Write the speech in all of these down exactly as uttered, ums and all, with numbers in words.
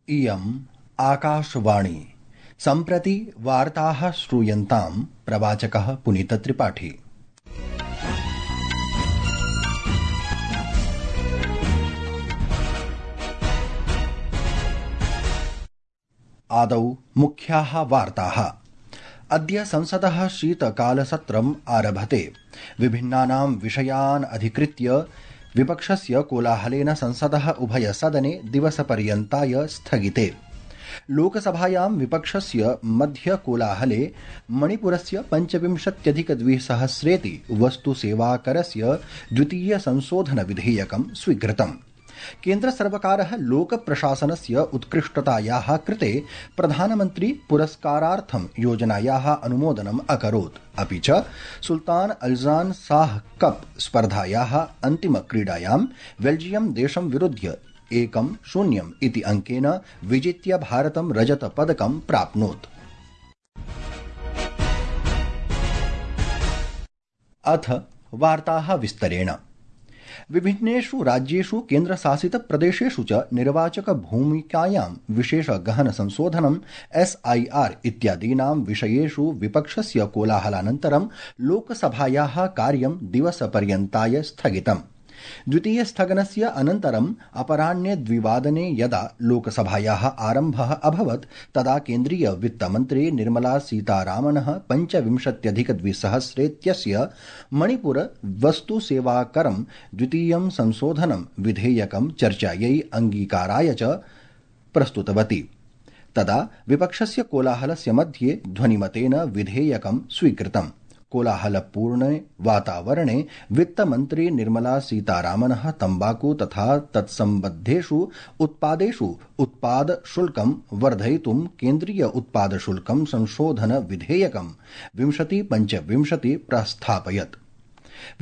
इयम् आकाशवाणी। सम्प्रति वार्ताः श्रूयन्ताम् प्रवाचकः पुनीतत्रिपाठी। आदौ मुख्याः वार्ताः। अद्य संसदः शीतकालसत्रम् आरभते। विभिन्नानां विषयान् अधिकृत्य विपक्षस्य कोलाहलेन संसदः उभयसदने दिवसपर्यन्ताय स्थगिते। लोकसभायां विपक्षस्य मध्य कोलाहले मणिपुरस्य पञ्चविंशत्यधिकद्विसहस्रेति वस्तुसेवाकरस्य द्वितीय संशोधन विधेयकं स्वीकृतम्। केन्द्रसर्वकारः लोकप्रशासनस्य उत्कृष्टतायाः कृते प्रधानमन्त्री पुरस्कारार्थं योजनायाः अनुमोदनम् अकरोत्। अपि च सुल्तान अल्जान शाह कप स्पर्धायाः अन्तिमक्रीडायां बेल्जियम देशं विरुध्य एकं शून्यम् इति अंकेन विजित्य भारतं रजतपदकं प्राप्नोत्। अथ वार्ताः विस्तरेण। विभिन्नेषु राज्येषु केन्द्रशासित प्रदेशेषु च निर्वाचक भूमिकायां विशेष गहन संशोधनम् एस आई आर इत्यादीनां विषयेषु विपक्षस्य कोलाहलानन्तरं लोकसभायाः कार्यं दिवसपर्यन्ताय स्थगितम्। द्वितीय स्थगनस्य अनन्तरम् अपराह्ने द्विवादने यदा लोकसभायाः आरम्भः अभवत् तदा केन्द्रीय वित्तमन्त्री निर्मला सीतारामनः पञ्चविंशत्यधिकद्विसहस्रेत्यस्य मणिपुर वस्तुसेवाकरं द्वितीयं संशोधनं विधेयकं चर्चायै अङ्गीकाराय च प्रस्तुतवती। तदा विपक्षस्य कोलाहलस्य मध्ये ध्वनिमतेन विधेयकं स्वीकृतम्। कोलाहलपूर्णे वातावरणे वित्तमन्त्री निर्मला सीतारामनः तम्बाकू तथा तत्सम्बद्धेषु उत्पादेषु उत्पाद शुल्कं वर्धयितुं केन्द्रीय उत्पाद शुल्कं संशोधन विधेयकं विंशति पञ्चविंशति प्रस्थापयत्।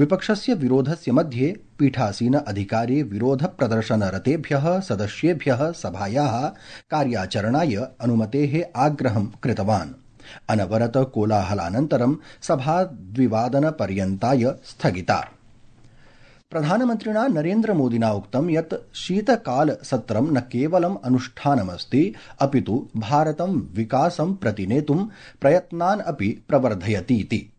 विपक्षस्य विरोधस्य मध्ये पीठासीन अधिकारी विरोध प्रदर्शनरतेभ्यः सदस्येभ्यः सभायाः कार्याचरणाय अनुमतेः आग्रहं कृतवान्। अनवरत कोलाहलानन्तरं सभा द्विवादनपर्यन्ताय स्थगिता। प्रधानमन्त्रिणा नरेन्द्र मोदिना उक्तं यत् शीतकालसत्रं न केवलम् अनुष्ठानमस्ति अपितु भारतं विकासं प्रति नेतुं प्रयत्नान् अपि प्रवर्धयतीति।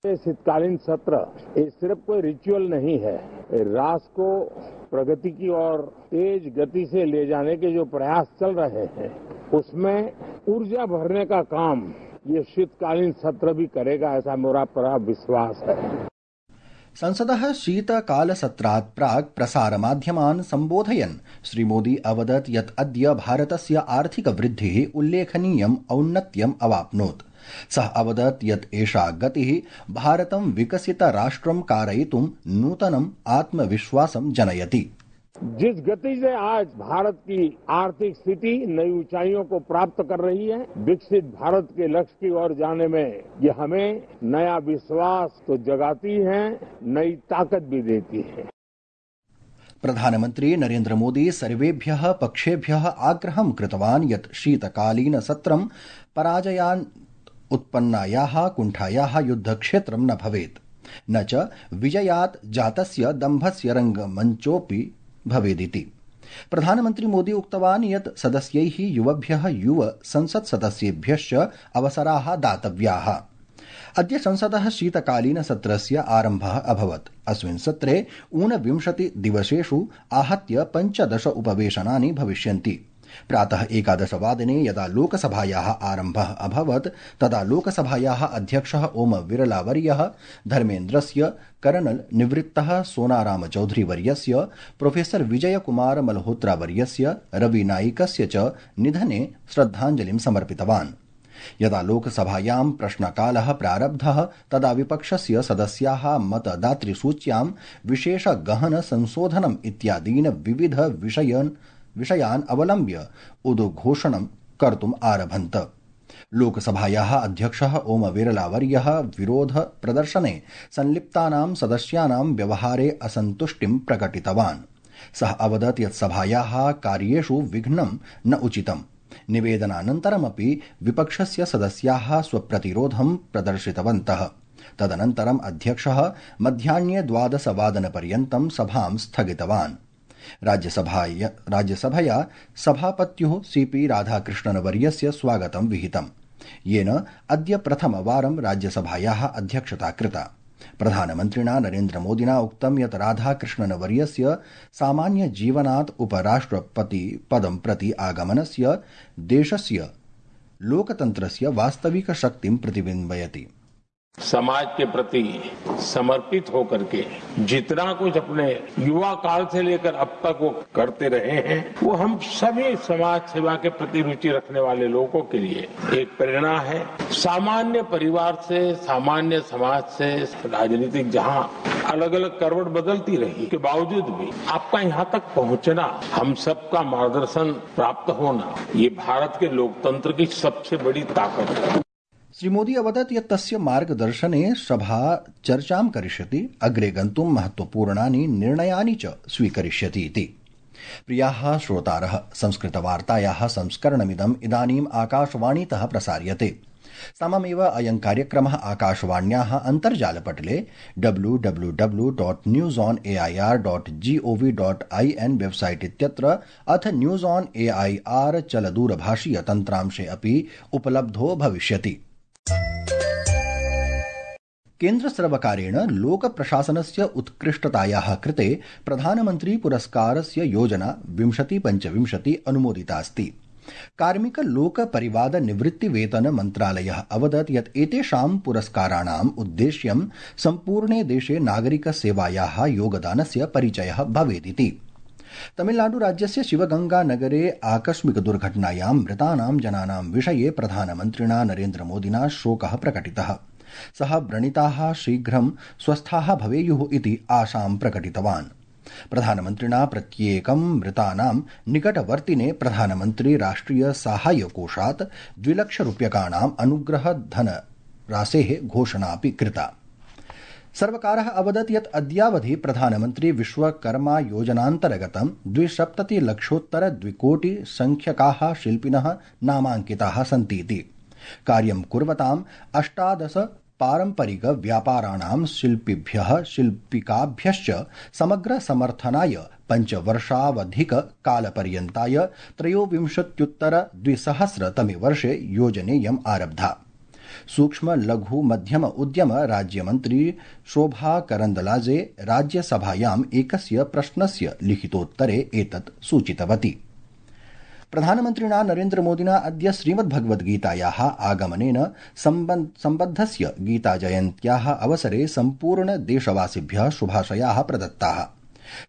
शीतकालीन सत्र ये सिर्फ कोई रिचुअल नहीं है, राष्ट्र को प्रगति की ओर तेज गति से ले जाने के जो प्रयास चल रहे हैं उसमें ऊर्जा भरने का काम ये शीतकालीन सत्र भी करेगा, ऐसा मेरा पूरा विश्वास है। संसदः शीतकालसत्रात् प्राक् प्रसारमाध्यमान् सम्बोधयन् श्रीमोदी अवदत् यत् अद्य भारतस्य आर्थिक वृद्धिः उल्लेखनीयम् औन्नत्यम् अवाप्नोत्। सः अवदत् यत् एषा गतिः भारतं विकसितराष्ट्रं कारयितुं नूतनम् आत्मविश्वासं जनयति। जिस गति से आज भारत की आर्थिक स्थिति नई ऊंचाइयों को प्राप्त कर रही है, विकसित भारत के लक्ष्य की ओर जाने में ये हमें नया विश्वास तो जगाती है, नई ताकत भी देती है। प्रधानमन्त्री नरेन्द्र मोदी सर्वेभ्यः पक्षेभ्यः आग्रहं कृतवान् यत् शीतकालीन सत्रं पराजयान् उत्पन्नायाः कुण्ठायाः युद्धक्षेत्रं न भवेत्, न च विजयात् जातस्य दम्भस्य रङ्गमञ्चोऽपि भवेदिति। प्रधानमन्त्री मोदी उक्तवान् यत् सदस्यैः युवभ्यः युव संसत्सदस्येभ्यश्च अवसराः दातव्याः। अद्य संसदः शीतकालीन सत्रस्य आरम्भः अभवत्। अस्मिन् सत्रे ऊनविंशति दिवसेषु आहत्य पञ्चदश उपवेशनानि भविष्यन्ति। प्रातः एकादशवादने यदा लोकसभायाः आरम्भः अभवत् तदा लोकसभायाः अध्यक्षः ओम बिरलावर्यः धर्मेन्द्रस्य, कर्नल निवृत्तः सोनाराम चौधरीवर्यस्य, प्रोफेसर विजयकुमार मल्होत्रावर्यस्य, रविनायिकस्य च निधने श्रद्धाञ्जलिं समर्पितवान्। यदा लोकसभायां प्रश्नकालः प्रारब्धः तदा विपक्षस्य सदस्याः मतदातृसूच्यां विशेष गहन संशोधनम् इत्यादीन् विविध विषयान् विषयान् अवलम्ब्य उद्घोषणं कर्तुम् आरभन्त। लोकसभायाः अध्यक्षः ओम बिरलावर्यः विरोध प्रदर्शने संलिप्तानां सदस्यानां व्यवहारे असन्तुष्टिं प्रकटितवान्। सः अवदत् यत् सभायाः कार्येषु विघ्नं न उचितम्। निवेदनानन्तरमपि विपक्षस्य सदस्याः स्वप्रतिरोधं प्रदर्शितवन्तः। तदनन्तरम् अध्यक्षः मध्याह्ने द्वादशवादनपर्यन्तं सभां स्थगितवान्। राज्यसभाया राज्यसभया सभापत्युः सीपी राधाकृष्णनवर्यस्य स्वागतं विहितम्, येन अद्य प्रथमवारं राज्यसभायाः अध्यक्षता कृता। प्रधानमन्त्रिणा नरेन्द्रमोदिना उक्तं यत् राधाकृष्णनवर्यस्य सामान्यजीवनात् उपराष्ट्रपतिपदं प्रति आगमनस्य देशस्य लोकतन्त्रस्य वास्तविकशक्तिं प्रतिबिम्बयति। समाज के प्रति समर्पित होकर के जितना कुछ अपने युवा काल से लेकर अब तक वो करते रहे हैं, वो हम सभी समाज सेवा के प्रति रुचि रखने वाले लोगों के लिए एक प्रेरणा है। सामान्य परिवार से, सामान्य समाज से राजनीतिक जहां अलग अलग करवट बदलती रही के बावजूद भी आपका यहाँ तक पहुंचना, हम सबका मार्गदर्शन प्राप्त होना, ये भारत के लोकतंत्र की सबसे बड़ी ताकत है। श्रीमोदी अवदत् यत् तस्य मार्गदर्शने सभा चर्चां करिष्यति, अग्रे गन्तुं महत्वपूर्णानि निर्णयानि च स्वीकरिष्यति इति। प्रियाः श्रोतारः, संस्कृतवार्तायाः संस्करणमिदम् इदानीम् आकाशवाणीतः प्रसार्यते। सममेव अयं कार्यक्रमः आकाशवाण्याः अन्तर्जालपटले W W W dot news on A I R dot GOV dot I N website इत्यत्र अथ news on A I R चलदूरभाषीय तन्त्रांशे अपि उपलब्धो भविष्यति। केन्द्रसर्वकारेण लोकप्रशासनस्य उत्कृष्टतायाः कृते प्रधानमन्त्री पुरस्कारस्य योजना विंशति पञ्चविंशति अनुमोदितास्ति। कार्मिक लोक परिवाद निवृत्ति वेतन मन्त्रालयः अवदत् यत् एतेषां पुरस्काराणाम् उद्देश्यं सम्पूर्णे देशे नागरिक सेवायाः योगदानस्य परिचयः भवेदिति। तमिलनाडु राज्यस्य शिवगंगा नगरे आकस्मिक दुर्घटनायां मृतानां जनानां विषये प्रधानमन्त्रिणा नरेन्द्रमोदिना शोकः प्रकटितः। सः व्रणिताः शीघ्रं स्वस्थाः भवेयुः इति आशां प्रकटितवान्। प्रधानमन्त्रिणा प्रत्येकं मृतानां निकटवर्तिने प्रधानमन्त्री राष्ट्रिय साहाय्य कोषात् द्विलक्षरूप्यकाणाम् अनुग्रह धनराशेः घोषणापि कृता। सर्वकारः अवदत् यत् अद्यावधि प्रधानमन्त्री विश्वकर्मा योजनान्तर्गतं द्विसप्ततिलक्षोत्तर द्विकोटि संख्यकाः शिल्पिनः नामाङ्किताः सन्तीति। कार्यं कुर्वताम् अष्टादश पारम्परिक व्यापाराणां शिल्पिभ्यः शिल्पिकाभ्यश्च समग्र समर्थनाय पञ्चवर्षावधिक कालपर्यन्ताय त्रयोविंशत्युत्तर द्विसहस्रतमे वर्षे योजनेयम् आरब्धा। सूक्ष्म लघु मध्यम उद्यम राज्यमन्त्री शोभा करन्दलाजे राज्यसभायाम् एकस्य प्रश्नस्य लिखितोत्तरे एतत् सूचितवती। प्रधानमन्त्रिणा नरेन्द्रमोदिना अद्य श्रीमद्भगवद्गीतायाः आगमनेन सम्बद्धस्य गीताजयन्त्याः अवसरे सम्पूर्ण देशवासिभ्यः शुभाशयाः प्रदत्ताः।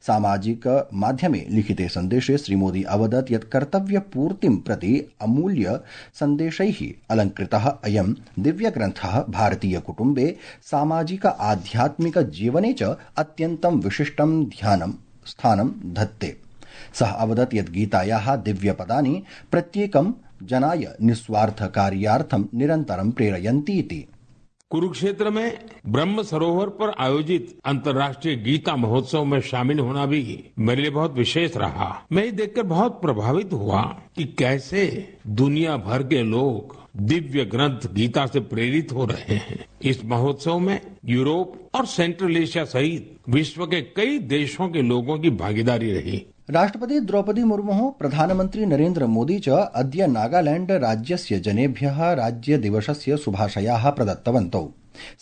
सामाजिक माध्यमे लिखिते सन्देशे श्रीमोदी अवदत् यत् कर्तव्यपूर्तिं प्रति अमूल्य सन्देशैः अलङ्कृतः अयं दिव्यग्रन्थः भारतीय कुटुम्बे सामाजिक आध्यात्मिक जीवने च अत्यन्तं विशिष्टं ध्यानं स्थानं धत्ते। सः अवदत् यत् गीतायाः दिव्यपदानि प्रत्येकं जनाय निस्वार्थ कार्यार्थं निरन्तरं प्रेरयन्ति इति। कुरुक्षेत्र में ब्रह्म सरोवर पर आयोजित अंतर्राष्ट्रीय गीता महोत्सव में शामिल होना भी मेरे लिए बहुत विशेष रहा। मैं ये देखकर बहुत प्रभावित हुआ कि कैसे दुनिया भर के लोग दिव्य ग्रंथ गीता से प्रेरित हो रहे हैं। इस महोत्सव में यूरोप और सेंट्रल एशिया सहित विश्व के कई देशों के लोगों की भागीदारी रही। राष्ट्रपति द्रौपदी मुर्मुः प्रधानमन्त्री नरेन्द्र मोदी च अद्य नागालैंड राज्यस्य जनेभ्यः राज्यदिवसस्य शुभाशयाः प्रदत्तवन्तौ।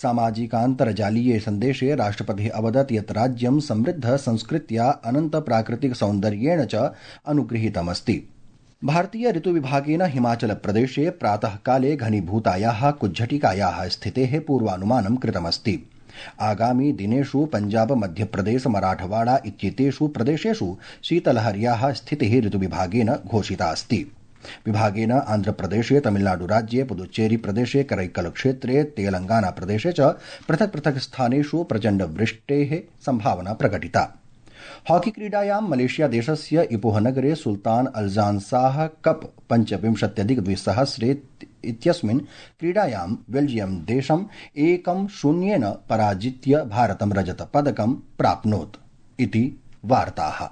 सामाजिकान्तर्जालीये सन्देशे राष्ट्रपतिः अवदत् यत् राज्यं समृद्ध संस्कृत्या अनन्त प्राकृतिक सौन्दर्येण च अनुगृहीतमस्ति। भारतीय ऋतुविभागेन हिमाचल प्रदेशे प्रातःकाले घनीभूतायाः कुज्झटिकायाः स्थितेः पूर्वानुमानं कृतमस्ति। आगामी दिनेषु पंजाब मध्यप्रदेश मराठवाड़ा इत्येतेषु प्रदेशेषु शीतलहर्याः स्थितिः ऋतुविभागेन घोषिता अस्ति। विभागेन आन्ध्रप्रदेशे तमिलनाडुराज्ये पुदुच्चेरी प्रदेशे करैक्कल क्षेत्रे तेलंगाना प्रदेशे च पृथक् पृथक् स्थानेषु प्रचण्ड वृष्टेः संभावना प्रकटिता। हॉकी क्रीडायां मलेशिया देशस्य इपोह नगरे सुल्तान अल्जान शाह कप पञ्चविंशत्यधिक द्विसहस्रे इत्यस्मिन् क्रीडायां बेल्जियम देशम् एकं शून्येन पराजित्य भारतं रजतपदकं प्राप्नोत् इति वार्ताः।